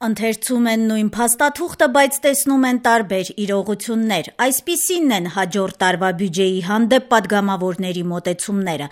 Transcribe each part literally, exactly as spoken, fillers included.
Ընթերցում են նույն փաստաթուղթը, բայց տեսնում են տարբեր իրողություններ։ Այսպիսինն են հաջորդ տարվա բյուջեի հանդեպ պատգամավորների մոտեցումները։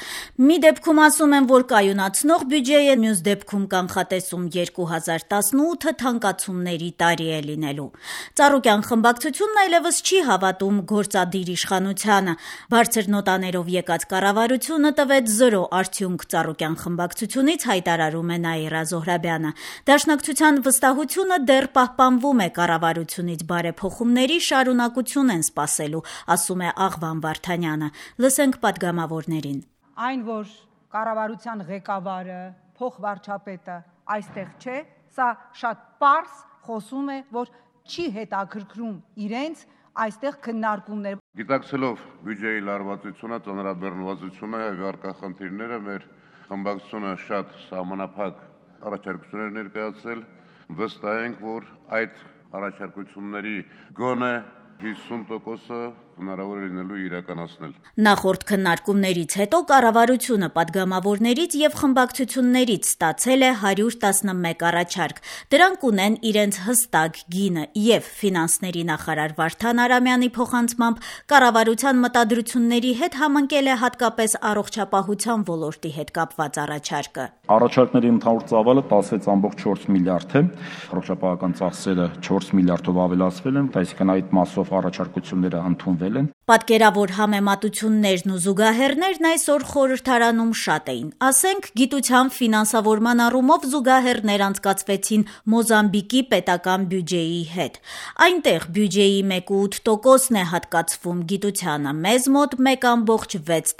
Մի դեպքում ասում են, որ կայունացնող բյուջե է, մյուս դեպքում կանխատեսում երկու հազար տասնութը թանկացումների տարի է լինելու։ Ծառուկյան խմբակցությունն այլևս չի հավատում գործադիր իշխանությանը։ Բարձր նոտաներով եկած կառավարությունը տվեց զրո արդյունք, Ծառուկյան խմբակցությունից հայտարարում է Նաիրա Զոհրաբյանը։ Դաշնակցության վստահ դեռ պահպանվում է, կառավարությունից բարեփոխումների շարունակություն են սպասելու, ասում է Աղվան Վարդանյանը։ Լսենք պատգամավորներին։ Այն, որ կառավարության ղեկավարը, փոխվարչապետը այստեղ չէ, սա շատ պարզ խոսում է, որ չի հետաքրքրում իրենց այստեղ քննարկումներ։ Գիտակցելով բյուջեի լարվածությունը, ծանրաբեռնվածությունը եւ առկա խնդիրները, մեր խմբակցությունը շատ սահմանափակ առաջարկություններ ներկայացրել, վստահ ենք, որ այդ առաջարկությունների գոնե հիսուն տոկոսը հնարավոր է լինելու իրականացնել։ Նախորդ քննարկումներից հետո կառավարությունը պատգամավորներից եւ խմբակցություններից ստացել է հարյուր տասնմեկ առաջարկ։ Դրանք ունեն իրենց հստակ գինը եւ ֆինանսների նախարար Վարդան Արամյանի փոխանցմամբ կառավարության մտադրությունների հետ համընկել է հատկապես առողջապահության ոլորտի հետ կապված առաջարկը։ Առաջարկների ընդհանուր ծավալը տասնվեց կόμք չորս միլիարդ է, առողջապահական ծախսերը չորս միլիարդով ավելացվել են, այսինքն այդ մասով առաջարկությունները ընդունվել են։ Պատկերավոր համեմատություններն ու զուգահեռներն այսօր խորհրդարանում շատ էին։ Ասենք, գիտության ֆինանսավորման առումով զուգահեռներ անցկացվեցին Մոզամբիկի պետական բյուջեի հետ։ Այնտեղ բյուջեի մեկ կόμք ութ տոկոսն է հատկացվում գիտությանը, մեզ մոտ մեկ կόμք վեց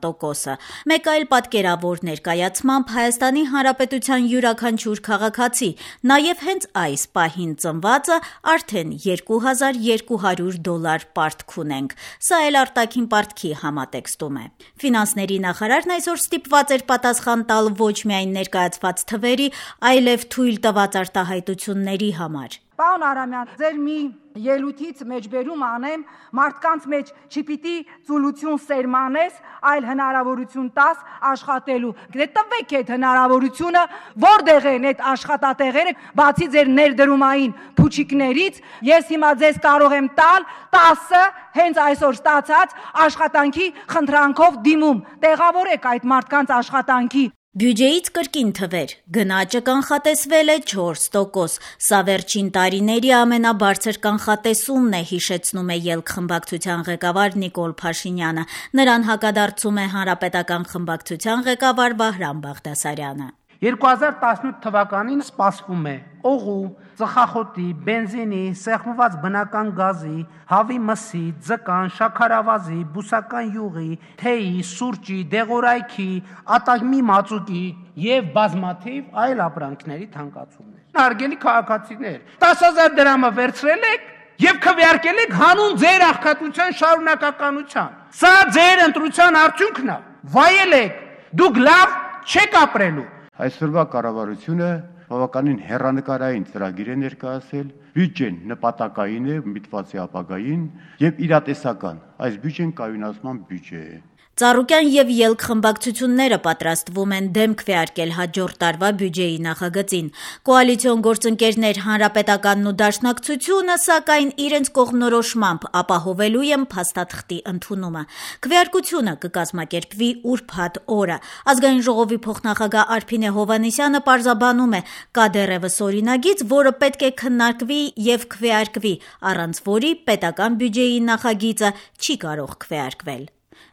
տոկոսը։ Մեկ այլ պատկերավոր ներկայացմամբ Հայաստանի Հանրապետության յուրաքանչյուր քաղաքացի, նաև հենց այս պահին ծնվածը արդեն երկու հազար երկու հարյուր դոլար պարտք ունենք։ Սա էլ արտաքին պարտքի համատեքստում է։ Ֆինանսների նախարարն այսօր ստիպված էր պատասխան տալ ոչ միայն ներկայացված թվերի, այլև թույլ տված արտահայտությունների համար։ Պարոն Արամյան, ձեր մի ելույթից մեջբերում անեմ, մարդկանց մեջ չպիտի ծուլություն սերմանես, այլ հնարավորություն տաս աշխատելու։ Դե տվեք այդ հնարավորությունը, որտեղ են այդ աշխատատեղերը, բացի ձեր ներդրումային փուչիկներից, ես հիմա ձեզ կարող եմ տալ տասը հենց այսօր ստացած աշխատանքի խնդրանքով դիմում։ Տեղավորեք այդ մարդկանց աշխատանքի։ Բյուջեից կրկին թվեր, գնաճը կանխատեսվել է չորս տոկոս, սա վերջին տարիների ամենաբարձր կանխատեսումն է, հիշեցնում է ԵԼՔ խմբակցության ղեկավար Նիկոլ Փաշինյանը, նրան հակադարձում է Հանրապետական խմբակցության ղեկավար Վահրամ Բաղդասարյանը։ երկու հազար տասնութ թվականին սպասվում է օղու, ծխախոտի, բենզինի, սեղմված բնական գազի, հավի մսի, ձկան, շաքարավազի, բուսական յուղի, թեյի, սուրճի, դեղորայքի, ատամի մածուկի եւ բազմաթիվ այլ ապրանքների թանկացումներ։ Հարգելի քաղաքացիներ, տասը հազար դրամը վերցրել եք եւ քվեարկել եք հանուն ձեր աղքատության շարունակականության։ Սա ձեր ընտրության արդյունքն է։ Վայել եք, դուք լավ չեք ապրելու։ Այսօրվա կառավարությունը բավականին հեռանկարային ծրագիր է ներկայացել, բյուջեն նպատակային է, միտված է ապագային եւ իրատեսական։ Այս բյուջեն կայունացման բյուջե է։ Ծառուկյան եւ ԵԼՔ խմբակցությունները պատրաստվում են դեմ քվեարկել հաջորդ տարվա բյուջեի նախագծին։ Կոալիցիոն գործընկերներ Հանրապետականն ու Դաշնակցությունը, սակայն իրենց կողմնորոշմամբ ապահովելու են փաստաթղթի ընդունումը։ Քվեարկությունը կկազմակերպվի ուրբաթ օրը։ Ազգային ժողովի փոխնախագահ Արփինե Հովհաննիսյանը պարզաբանում է, կա դեռևս օրինագիծ, որը պետք է քննարկվի եւ քվեարկվի, առանց որի պետական բյուջեի նախագիծը չի կարող քվեարկվել։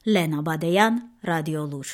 Լենա Բադեյան, Ռադիոլուր։